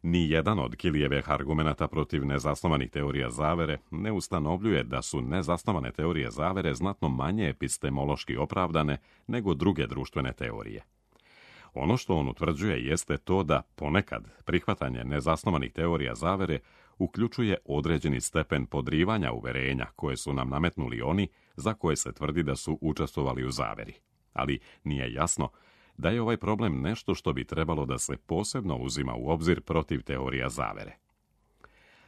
Ni jedan od Kilijevih argumenata protiv nezasnovanih teorija zavere ne ustanovljuje da su nezasnovane teorije zavere znatno manje epistemološki opravdane nego druge društvene teorije. Ono što on utvrđuje jeste to da ponekad prihvatanje nezasnovanih teorija zavere uključuje određeni stepen podrivanja uverenja koje su nam nametnuli oni za koje se tvrdi da su učestvovali u zaveri. Ali nije jasno da je ovaj problem nešto što bi trebalo da se posebno uzima u obzir protiv teorija zavere.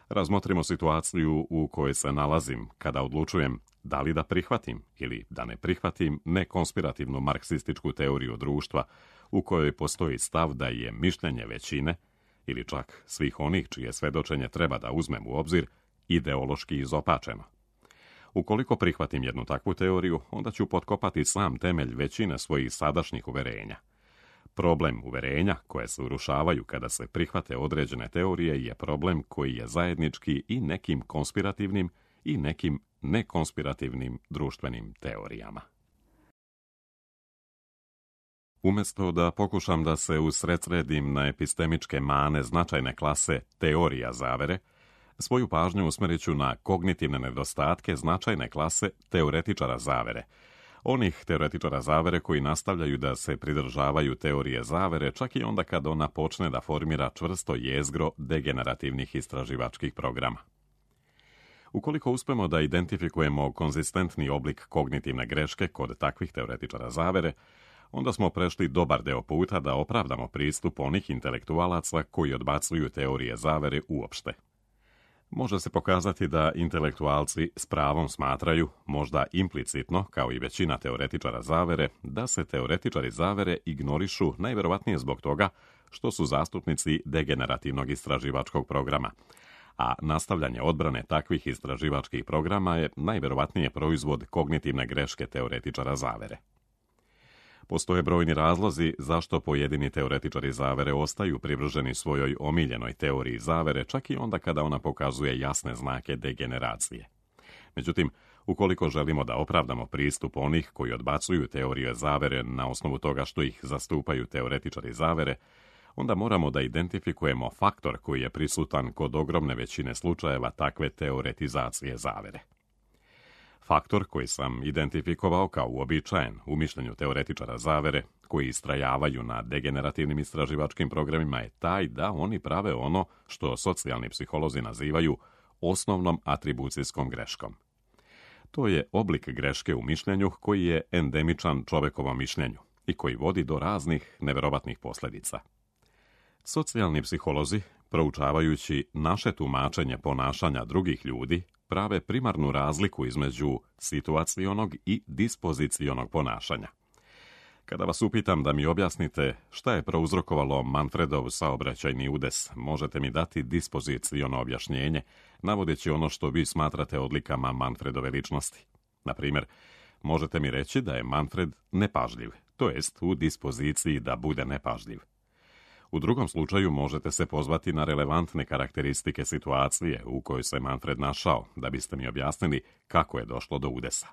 Razmotrimo situaciju u kojoj se nalazim kada odlučujem da li da prihvatim ili da ne prihvatim nekonspirativnu marksističku teoriju društva u kojoj postoji stav da je mišljenje većine, ili čak svih onih čije svedočenje treba da uzmem u obzir, ideološki izopačeno. Ukoliko prihvatim jednu takvu teoriju, onda ću potkopati sam temelj većine svojih sadašnjih uverenja. Problem uverenja koje se urušavaju kada se prihvate određene teorije je problem koji je zajednički i nekim konspirativnim i nekim nekonspirativnim društvenim teorijama. Umjesto da pokušam da se usredsredim na epistemičke mane značajne klase teorija zavere, svoju pažnju usmjerit ću na kognitivne nedostatke značajne klase teoretičara zavere, onih teoretičara zavere koji nastavljaju da se pridržavaju teorije zavere čak i onda kad ona počne da formira čvrsto jezgro degenerativnih istraživačkih programa. Ukoliko uspemo da identifikujemo konzistentni oblik kognitivne greške kod takvih teoretičara zavere, onda smo prešli dobar deo puta da opravdamo pristup onih intelektualaca koji odbacuju teorije zavere uopšte. Može se pokazati da intelektualci s pravom smatraju, možda implicitno, kao i većina teoretičara zavere, da se teoretičari zavere ignorišu najverovatnije zbog toga što su zastupnici degenerativnog istraživačkog programa, a nastavljanje odbrane takvih istraživačkih programa je najverovatnije proizvod kognitivne greške teoretičara zavere. Postoje brojni razlozi zašto pojedini teoretičari zavere ostaju privrženi svojoj omiljenoj teoriji zavere, čak i onda kada ona pokazuje jasne znake degeneracije. Međutim, ukoliko želimo da opravdamo pristup onih koji odbacuju teorije zavere na osnovu toga što ih zastupaju teoretičari zavere, onda moramo da identifikujemo faktor koji je prisutan kod ogromne većine slučajeva takve teoretizacije zavere. Faktor koji sam identifikovao kao uobičajen u mišljenju teoretičara zavere, koji istrajavaju na degenerativnim istraživačkim programima, je taj da oni prave ono što socijalni psiholozi nazivaju osnovnom atribucijskom greškom. To je oblik greške u mišljenju koji je endemičan čovekovom mišljenju, i koji vodi do raznih neverovatnih posljedica. Socijalni psiholozi, proučavajući naše tumačenje ponašanja drugih ljudi, prave primarnu razliku između situacionog i dispozicionog ponašanja. Kada vas upitam da mi objasnite šta je prouzrokovalo Manfredov saobraćajni udes, možete mi dati dispoziciono objašnjenje, navodeći ono što vi smatrate odlikama Manfredove ličnosti. Na primjer, možete mi reći da je Manfred nepažljiv, to jest u dispoziciji da bude nepažljiv. U drugom slučaju možete se pozvati na relevantne karakteristike situacije u kojoj se Manfred našao, da biste mi objasnili kako je došlo do udesa.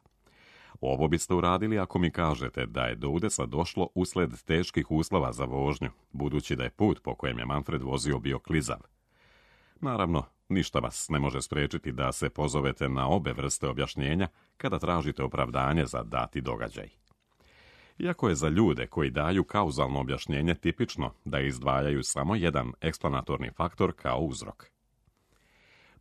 Ovo biste uradili ako mi kažete da je do udesa došlo usled teških uslova za vožnju, budući da je put po kojem je Manfred vozio bio klizav. Naravno, ništa vas ne može spriječiti da se pozovete na obe vrste objašnjenja kada tražite opravdanje za dati događaj. Iako je za ljude koji daju kauzalno objašnjenje tipično da izdvajaju samo jedan eksplanatorni faktor kao uzrok.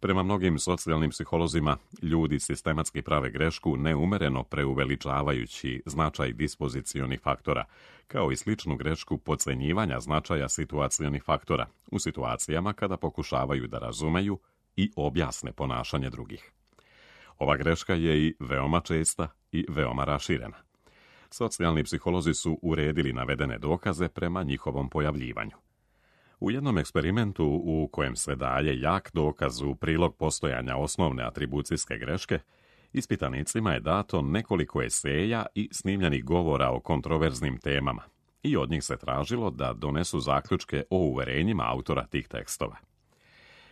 Prema mnogim socijalnim psiholozima, ljudi sistematski prave grešku neumereno preuveličavajući značaj dispozicionih faktora, kao i sličnu grešku podcenjivanja značaja situacionih faktora u situacijama kada pokušavaju da razumeju i objasne ponašanje drugih. Ova greška je i veoma česta i veoma raširena. Socijalni psiholozi su uredili navedene dokaze prema njihovom pojavljivanju. U jednom eksperimentu u kojem se daje jak dokaz u prilog postojanja osnovne atribucijske greške, ispitanicima je dato nekoliko eseja i snimljenih govora o kontroverznim temama i od njih se tražilo da donesu zaključke o uverenjima autora tih tekstova.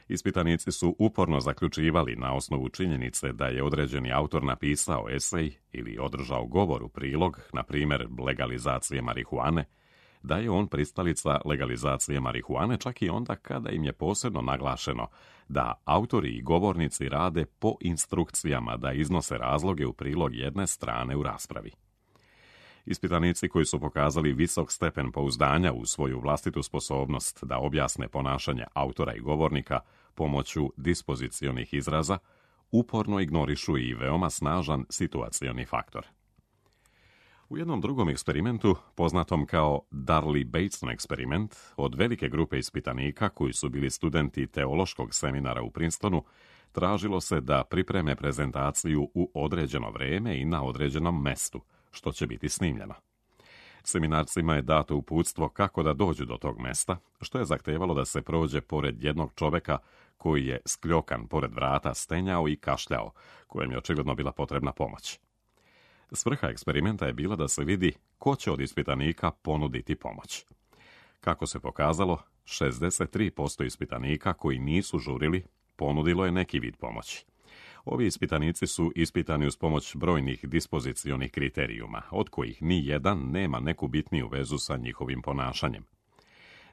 Ispitanici su uporno zaključivali na osnovu činjenice da je određeni autor napisao esej ili održao govor u prilog, na primjer legalizacije marihuane, da je on pristalica legalizacije marihuane čak i onda kada im je posebno naglašeno da autori i govornici rade po instrukcijama da iznose razloge u prilog jedne strane u raspravi. Ispitanici koji su pokazali visok stepen pouzdanja u svoju vlastitu sposobnost da objasne ponašanje autora i govornika pomoću dispozicionih izraza, uporno ignorišu i veoma snažan situacioni faktor. U jednom drugom eksperimentu, poznatom kao Darley-Bateson eksperiment, od velike grupe ispitanika koji su bili studenti teološkog seminara u Princetonu, tražilo se da pripreme prezentaciju u određeno vrijeme i na određenom mestu, što će biti snimljeno. Seminarcima je dato uputstvo kako da dođu do tog mesta, što je zahtevalo da se prođe pored jednog čoveka koji je skljokan pored vrata stenjao i kašljao, kojem je očigledno bila potrebna pomoć. Svrha eksperimenta je bila da se vidi ko će od ispitanika ponuditi pomoć. Kako se pokazalo, šezdeset tri posto ispitanika koji nisu žurili ponudilo je neki vid pomoći. Ovi ispitanici su ispitani uz pomoć brojnih dispozicionih kriterijuma, od kojih ni jedan nema neku bitniju vezu sa njihovim ponašanjem.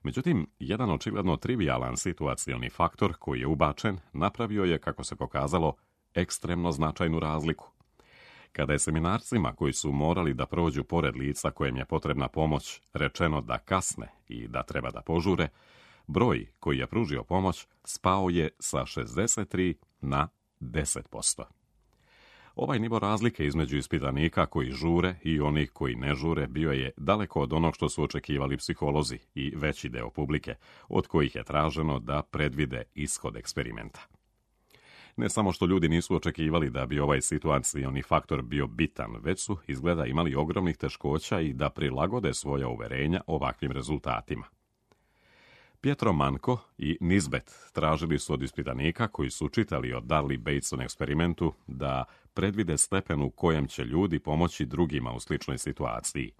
Međutim, jedan očigledno trivijalan situacioni faktor koji je ubačen napravio je, kako se pokazalo, ekstremno značajnu razliku. Kada je seminarcima koji su morali da prođu pored lica kojem je potrebna pomoć rečeno da kasne i da treba da požure, broj koji je pružio pomoć spao je sa šezdeset tri na deset posto. Ovaj nivo razlike između ispitanika koji žure i onih koji ne žure bio je daleko od onog što su očekivali psiholozi i veći deo publike, od kojih je traženo da predvide ishod eksperimenta. Ne samo što ljudi nisu očekivali da bi ovaj situacioni faktor bio bitan, već su izgleda imali ogromnih teškoća i da prilagode svoja uverenja ovakvim rezultatima. Pietro Manco i Nisbet tražili su od ispitanika koji su čitali o Darley-Bateson eksperimentu da predvide stepen u kojem će ljudi pomoći drugima u sličnoj situaciji.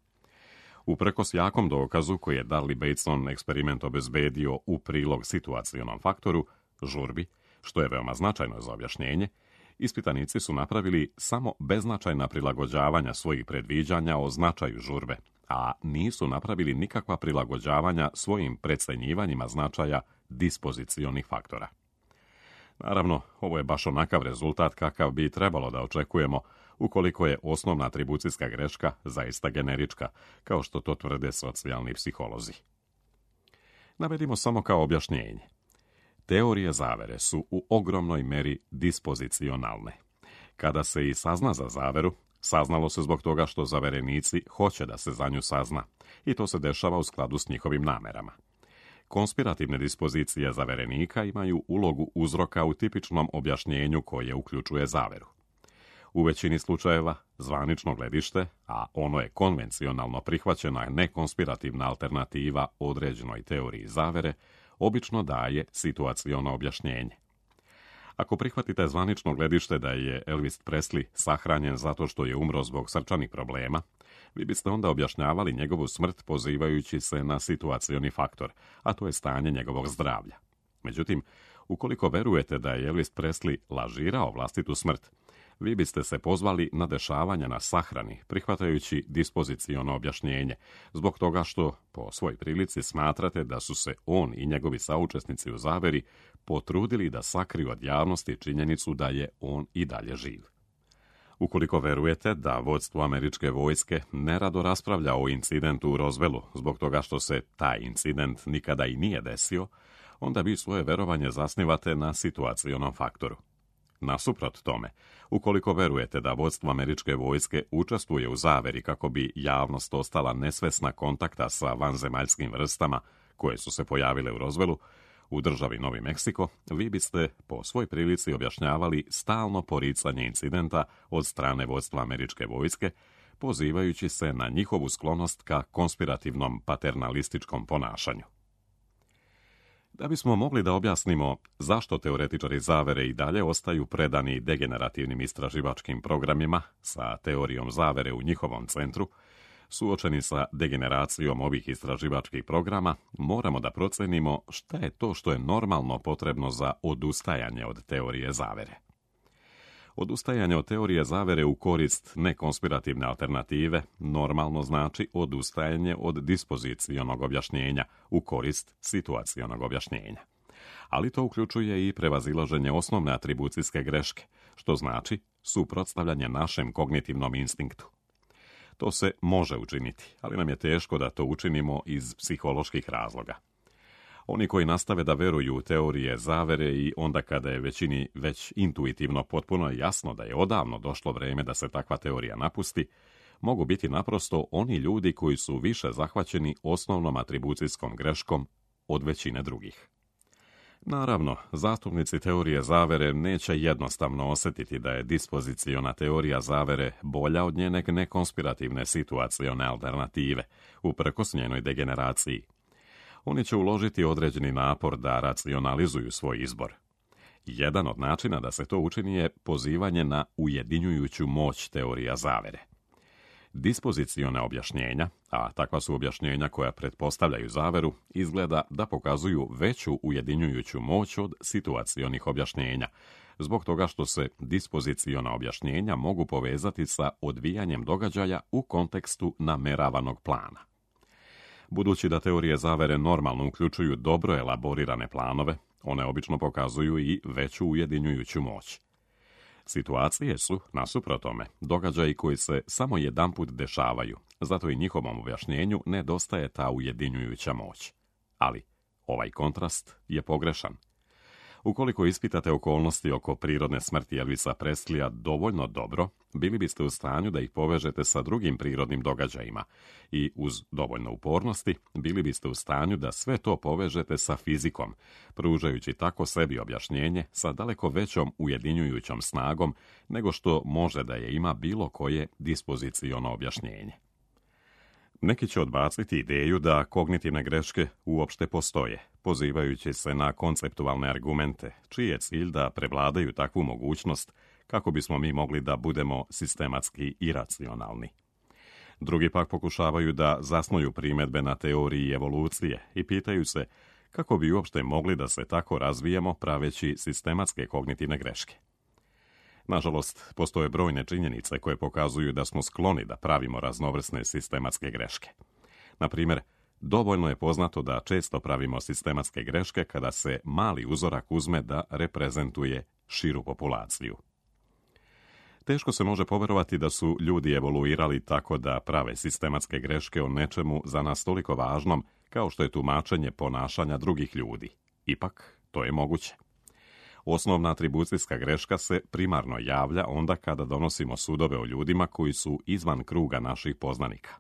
Uprkos jakom dokazu koji je Darley-Bateson eksperiment obezbedio u prilog situacionom faktoru, žurbi, što je veoma značajno za objašnjenje, ispitanici su napravili samo beznačajna prilagođavanja svojih predviđanja o značaju žurbe, a nisu napravili nikakva prilagođavanja svojim precenjivanjima značaja dispozicionih faktora. Naravno, ovo je baš onakav rezultat kakav bi trebalo da očekujemo ukoliko je osnovna atribucijska greška zaista generička, kao što to tvrde socijalni psiholozi. Navedimo samo kao objašnjenje. Teorije zavere su u ogromnoj meri dispozicionalne. Kada se i sazna za zaveru, Saznalo se zbog toga što zaverenici hoće da se za nju sazna, i to se dešava u skladu s njihovim namerama. Konspirativne dispozicije zaverenika imaju ulogu uzroka u tipičnom objašnjenju koje uključuje zaveru. U većini slučajeva, zvanično gledište, a ono je konvencionalno prihvaćena nekonspirativna alternativa određenoj teoriji zavere, obično daje situaciono objašnjenje. Ako prihvatite zvanično gledište da je Elvis Presley sahranjen zato što je umro zbog srčanih problema, vi biste onda objašnjavali njegovu smrt pozivajući se na situacioni faktor, a to je stanje njegovog zdravlja. Međutim, ukoliko verujete da je Elvis Presley lažirao vlastitu smrt, vi biste se pozvali na dešavanja na sahrani, prihvatajući dispoziciono objašnjenje, zbog toga što, po svoj prilici, smatrate da su se on i njegovi saučesnici u zaveri potrudili da sakriju od javnosti činjenicu da je on i dalje živ. Ukoliko verujete da vodstvo američke vojske nerado raspravlja o incidentu u Roswellu zbog toga što se taj incident nikada i nije desio, onda vi svoje verovanje zasnivate na situacionom faktoru. Nasuprot tome, ukoliko verujete da vodstvo američke vojske učestvuje u zaveri kako bi javnost ostala nesvesna kontakta sa vanzemaljskim vrstama koje su se pojavile u Roswellu, u državi Novi Meksiko, vi biste po svoj prilici objašnjavali stalno poricanje incidenta od strane vodstva američke vojske, pozivajući se na njihovu sklonost ka konspirativnom paternalističkom ponašanju. Da bismo mogli da objasnimo zašto teoretičari zavere i dalje ostaju predani degenerativnim istraživačkim programima sa teorijom zavere u njihovom centru, suočeni sa degeneracijom ovih istraživačkih programa, moramo da procenimo šta je to što je normalno potrebno za odustajanje od teorije zavere. Odustajanje od teorije zavere u korist nekonspirativne alternative normalno znači odustajanje od dispozicionog objašnjenja u korist situacionog objašnjenja. Ali to uključuje i prevazilaženje osnovne atribucijske greške, što znači suprotstavljanje našem kognitivnom instinktu. To se može učiniti, ali nam je teško da to učinimo iz psiholoških razloga. Oni koji nastave da veruju u teorije zavere i onda kada je većini već intuitivno potpuno jasno da je odavno došlo vreme da se takva teorija napusti, mogu biti naprosto oni ljudi koji su više zahvaćeni osnovnom atribucijskom greškom od većine drugih. Naravno, zastupnici teorije zavere neće jednostavno osjetiti da je dispoziciona teorija zavere bolja od njene nekonspirativne situacione alternative, uprkos njenoj degeneraciji. Oni će uložiti određeni napor da racionalizuju svoj izbor. Jedan od načina da se to učini je pozivanje na ujedinjujuću moć teorija zavere. Dispoziciona objašnjenja, a takva su objašnjenja koja pretpostavljaju zaveru, izgleda da pokazuju veću ujedinjujuću moć od situacionih objašnjenja, zbog toga što se dispoziciona objašnjenja mogu povezati sa odvijanjem događaja u kontekstu nameravanog plana. Budući da teorije zavere normalno uključuju dobro elaborirane planove, one obično pokazuju i veću ujedinjujuću moć. Situacije su, nasuprot tome, događaji koji se samo jedanput dešavaju, zato i njihovom objašnjenju nedostaje ta ujedinjujuća moć. Ali ovaj kontrast je pogrešan. Ukoliko ispitate okolnosti oko prirodne smrti Elvisa Presleya dovoljno dobro, bili biste u stanju da ih povežete sa drugim prirodnim događajima i uz dovoljno upornosti bili biste u stanju da sve to povežete sa fizikom, pružajući tako sebi objašnjenje sa daleko većom ujedinjujućom snagom nego što može da je ima bilo koje dispoziciono objašnjenje. Neki će odbaciti ideju da kognitivne greške uopšte postoje, pozivajući se na konceptualne argumente, čiji je cilj da prevladaju takvu mogućnost kako bismo mi mogli da budemo sistematski iracionalni. Drugi pak pokušavaju da zasnuju primjedbe na teoriji evolucije i pitaju se kako bi uopšte mogli da se tako razvijemo praveći sistematske kognitivne greške. Nažalost, postoje brojne činjenice koje pokazuju da smo skloni da pravimo raznovrsne sistematske greške. Na primjer, dovoljno je poznato da često pravimo sistematske greške kada se mali uzorak uzme da reprezentuje širu populaciju. Teško se može poverovati da su ljudi evoluirali tako da prave sistematske greške o nečemu za nas toliko važnom kao što je tumačenje ponašanja drugih ljudi. Ipak, to je moguće. Osnovna atribucijska greška se primarno javlja onda kada donosimo sudove o ljudima koji su izvan kruga naših poznanika.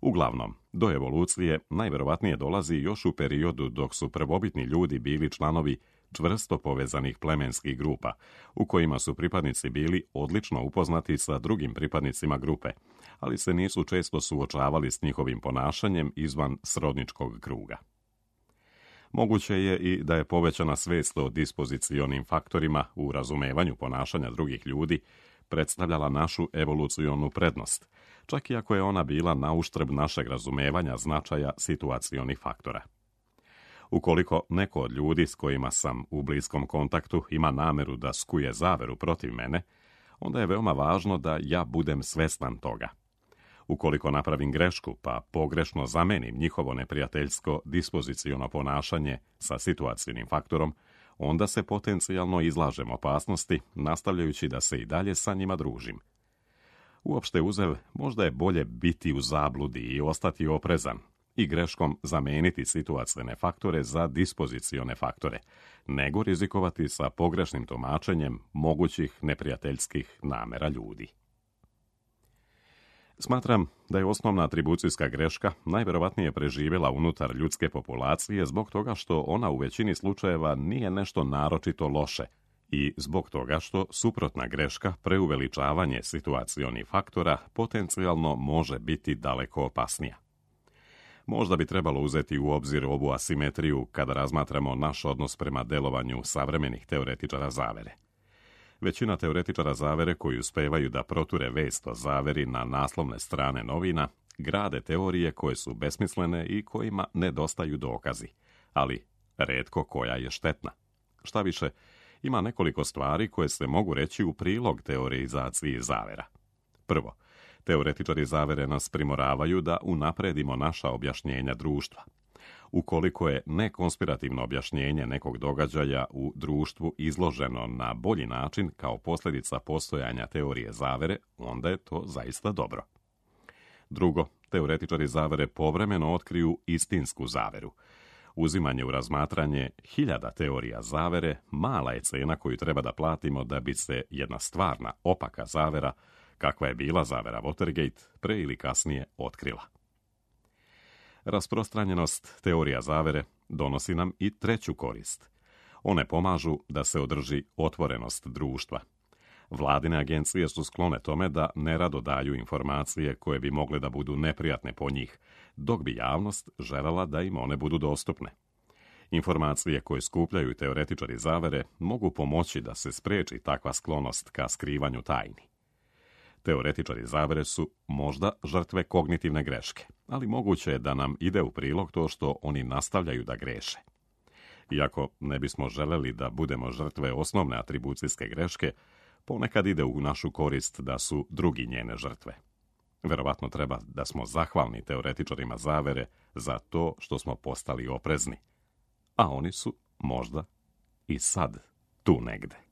Uglavnom, do evolucije najvjerovatnije dolazi još u periodu dok su prvobitni ljudi bili članovi čvrsto povezanih plemenskih grupa, u kojima su pripadnici bili odlično upoznati sa drugim pripadnicima grupe, ali se nisu često suočavali s njihovim ponašanjem izvan srodničkog kruga. Moguće je i da je povećana svijest o dispozicionim faktorima u razumevanju ponašanja drugih ljudi predstavljala našu evolucionu prednost, čak i ako je ona bila na uštrb našeg razumevanja značaja situacionih faktora. Ukoliko neko od ljudi s kojima sam u bliskom kontaktu ima nameru da skuje zaveru protiv mene, onda je veoma važno da ja budem svestan toga. Ukoliko napravim grešku pa pogrešno zamenim njihovo neprijateljsko dispoziciono ponašanje sa situacionim faktorom, onda se potencijalno izlažem opasnosti, nastavljajući da se i dalje sa njima družim. Uopšte uzev, možda je bolje biti u zabludi i ostati oprezan i greškom zameniti situacione faktore za dispozicione faktore, nego rizikovati sa pogrešnim tumačenjem mogućih neprijateljskih namera ljudi. Smatram da je osnovna atribucijska greška najvjerovatnije preživjela unutar ljudske populacije zbog toga što ona u većini slučajeva nije nešto naročito loše i zbog toga što suprotna greška, preuveličavanje situacionih faktora, potencijalno može biti daleko opasnija. Možda bi trebalo uzeti u obzir ovu asimetriju kada razmatramo naš odnos prema delovanju savremenih teoretičara zavere. Većina teoretičara zavere koji uspevaju da proture vest o zaveri na naslovne strane novina, grade teorije koje su besmislene i kojima nedostaju dokazi, ali retko koja je štetna. Šta više, ima nekoliko stvari koje se mogu reći u prilog teorizaciji zavera. Prvo, teoretičari zavere nas primoravaju da unapredimo naša objašnjenja društva. Ukoliko je nekonspirativno objašnjenje nekog događaja u društvu izloženo na bolji način kao posljedica postojanja teorije zavere, onda je to zaista dobro. Drugo, teoretičari zavere povremeno otkriju istinsku zaveru. Uzimanje u razmatranje hiljada teorija zavere mala je cena koju treba da platimo da bi se jedna stvarna, opaka zavera, kakva je bila zavera Watergate, pre ili kasnije otkrila. Rasprostranjenost teorija zavere donosi nam i treću korist. One pomažu da se održi otvorenost društva. Vladine agencije su sklone tome da nerado daju informacije koje bi mogle da budu neprijatne po njih, dok bi javnost željela da im one budu dostupne. Informacije koje skupljaju teoretičari zavere mogu pomoći da se spreči takva sklonost ka skrivanju tajni. Teoretičari zavere su možda žrtve kognitivne greške, ali moguće je da nam ide u prilog to što oni nastavljaju da greše. Iako ne bismo želeli da budemo žrtve osnovne atribucijske greške, ponekad ide u našu korist da su drugi njene žrtve. Verovatno treba da smo zahvalni teoretičarima zavere za to što smo postali oprezni, a oni su možda i sad tu negde.